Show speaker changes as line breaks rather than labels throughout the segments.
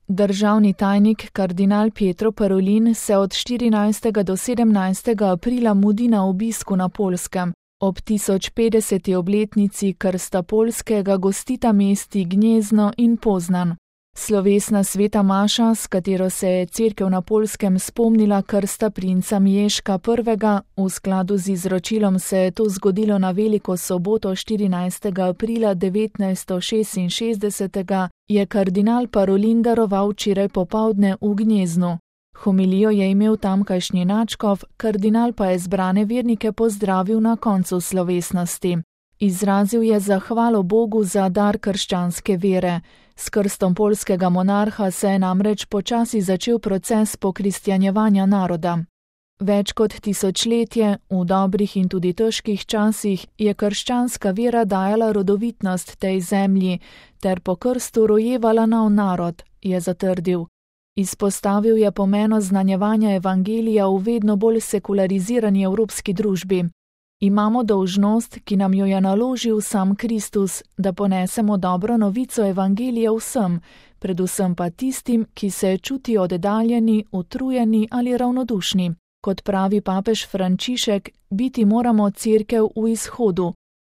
Državni tajnik kardinal Pietro Parolin se od 14. do 17. aprila mudi na obisku na Poljskem. Ob 1050. obletnici krsta Poljskega gostita mesti Gnjezno in Poznan. Slovesna sveta maša, s katero se je cerkev na Poljskem spomnila krsta princa Mieška I., v skladu z izročilom se je to zgodilo na veliko soboto 14. aprila 1966, je kardinal Parolin daroval včeraj popoldne v Gnjeznu. Homilijo je imel tamkajšnji nadškof, kardinal pa je zbrane vernike pozdravil na koncu slovesnosti. Izrazil je zahvalo Bogu za dar krščanske vere. S krstom poljskega monarha se je namreč počasi začel proces pokristjanjevanja naroda. Več kot tisočletje, v dobrih in tudi težkih časih, je krščanska vera dajala rodovitnost tej zemlji ter po krstu rojevala nov narod, je zatrdil. Izpostavil je pomen oznanjevanja evangelija v vedno bolj sekularizirani evropski družbi. Imamo dolžnost, ki nam jo je naložil sam Kristus, da ponesemo dobro novico evangelija vsem, predvsem pa tistim, ki se čutijo oddaljeni, utrujeni ali ravnodušni. Kot pravi papež Frančišek, biti moramo cerkev v izhodu.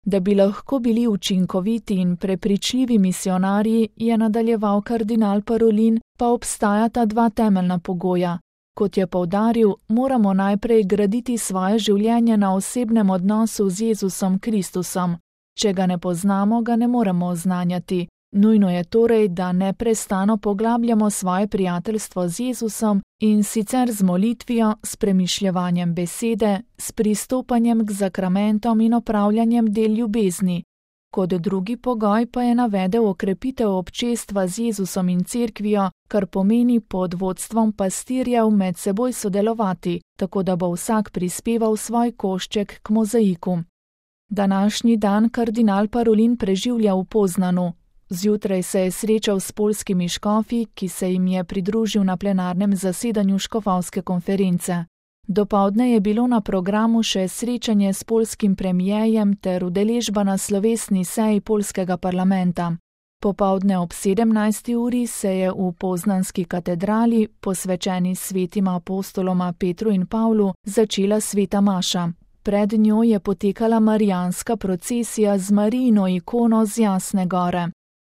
Da bi lahko bili učinkoviti in prepričljivi misionarji, je nadaljeval kardinal Parolin, pa obstajata dva temeljna pogoja. Kot je poudaril, moramo najprej graditi svoje življenje na osebnem odnosu z Jezusom Kristusom. Če ga ne poznamo, ga ne moremo oznanjati. Nujno je torej, da neprestano poglabljamo svoje prijateljstvo z Jezusom in sicer z molitvijo, s premišljevanjem besede, s pristopanjem k zakramentom in opravljanjem del ljubezni. Kot drugi pogoj pa je navedel okrepitev občestva z Jezusom in cerkvijo, kar pomeni pod vodstvom pastirjev med seboj sodelovati, tako da bo vsak prispeval svoj košček k mozaiku. Današnji dan kardinal Parolin preživlja v Poznanu. Zjutraj se je srečal s poljskimi škofi, ki se jim je pridružil na plenarnem zasedanju škofovske konference. Dopoldne je bilo na programu še srečanje s poljskim premijejem ter udeležba na slovesni seji poljskega parlamenta. Popoldne ob 17. uri se je v poznanski katedrali, posvečeni svetima apostoloma Petru in Pavlu, začela sveta maša. Pred njo je potekala marijanska procesija z Marijino ikono z Jasne gore.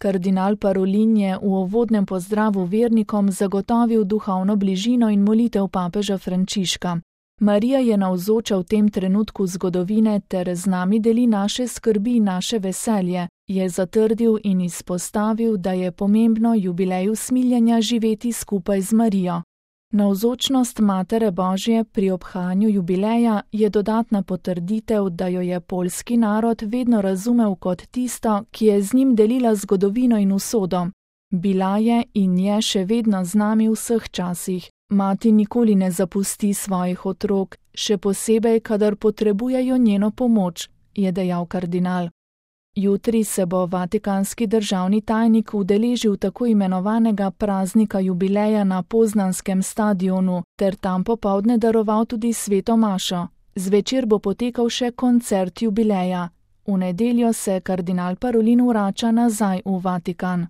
Kardinal Parolin je v uvodnem pozdravu vernikom zagotovil duhovno bližino in molitev papeža Frančiška. Marija je navzoča v tem trenutku zgodovine ter z nami deli naše skrbi in naše veselje, je zatrdil in izpostavil, da je pomembno jubileju smiljenja živeti skupaj z Marijo. Navzočnost Matere Božje pri obhajanju jubileja je dodatna potrditev, da jo je poljski narod vedno razumel kot tisto, ki je z njim delila zgodovino in usodo. Bila je in je še vedno z nami v vseh časih. Mati nikoli ne zapusti svojih otrok, še posebej, kadar potrebujejo njeno pomoč, je dejal kardinal. Jutri se bo vatikanski državni tajnik udeležil tako imenovanega praznika jubileja na Poznanskem stadionu ter tam popoldne daroval tudi sveto mašo. Zvečer bo potekal še koncert jubileja. V nedeljo se kardinal Parolin vrača nazaj v Vatikan.